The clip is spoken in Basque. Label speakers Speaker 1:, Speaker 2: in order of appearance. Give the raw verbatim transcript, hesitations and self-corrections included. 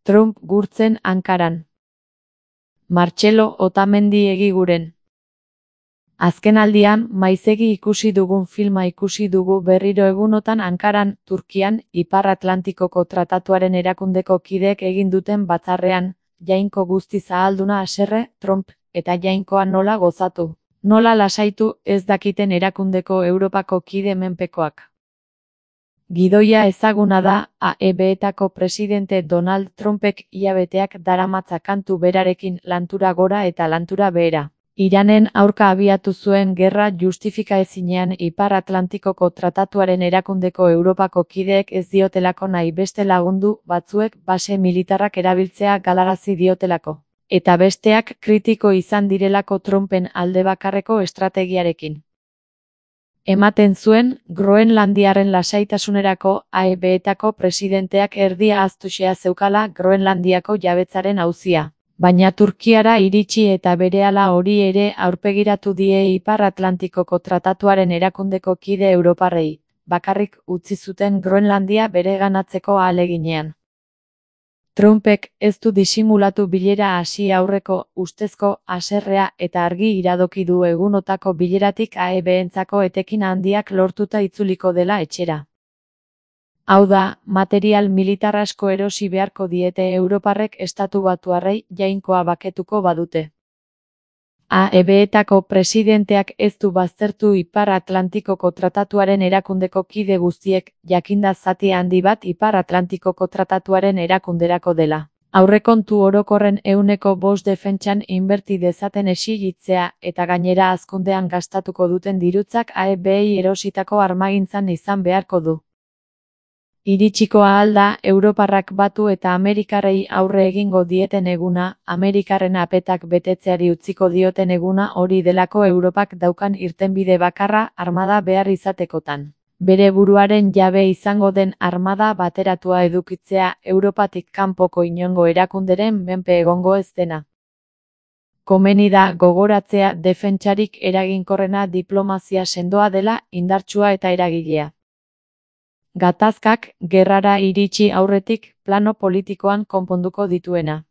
Speaker 1: Trump gurtzen Ankaran. Martxelo Otamendi egiguren. Azkenaldian, maizegi ikusi dugun filma ikusi dugu berriro egunotan Ankaran, Turkian, Ipar Atlantikoko Tratatuaren erakundeko kideek egin duten batzarrean, jainko guztiz ahalduna haserre, Trump, eta jainkoa nola gozatu, nola lasaitu ez dakiten erakundeko Europako kide menpekoak. Gidoia ezaguna da, A E B-etako presidente Donald Trumpek hilabeteak daramatza kantu berarekin lantura gora eta lantura behera. Iranen aurka abiatu zuen gerra justifikaezinean Ipar Atlantikoko Tratatuaren erakundeko Europako kideek ez diotelako nahi beste lagundu batzuek base militarrak erabiltzea galarazi diotelako, eta besteak kritiko izan direlako Trumpen alde bakarreko estrategiarekin. Ematen zuen, Groenlandiaren lasaitasunerako A E B-etako presidenteak erdia ahaztuxea zeukala Groenlandiako jabetzaren auzia. Baina Turkiara iritsi eta berehala hori ere aurpegiratu die Ipar Atlantikoko Tratatuaren erakundeko kide europarrei, bakarrik utzi zuten Groenlandia bereganatzeko ahaleginean. Trumpek ez du disimulatu bilera hasi aurreko ustezko haserrea eta argi iradoki du egunotako bileratik A E B-entzako etekin handiak lortuta itzuliko dela etxera. Hau da, material militar asko erosi beharko diete europarrek estatu batuarrei jainkoa baketuko badute. A E B-etako presidenteak ez du baztertu Ipar Atlantikoko Tratatuaren erakundeko kide guztiek, jakinda zati handi bat Ipar Atlantikoko Tratatuaren erakunderako dela. Aurrekontu orokorren ehuneko bost defentsan inberti dezaten exigitzea eta gainera hazkundean gastatuko duten dirutzak A E B-ei erositako armagintzan izan beharko du. Iritsiko ahal da, europarrak batu eta amerikarrei aurre egingo dieten eguna, amerikarren apetak betetzeari utziko dioten eguna hori delako Europak daukan irtenbide bakarra armada behar izatekotan. Bere buruaren jabe izango den armada bateratua edukitzea Europatik kanpoko inongo erakunderen menpe egongo ez dena. Komeni da gogoratzea defentsarik eraginkorrena diplomazia sendoa dela, indartsua eta eragilea. Gatazkak gerrara iritsi aurretik plano politikoan konponduko dituena.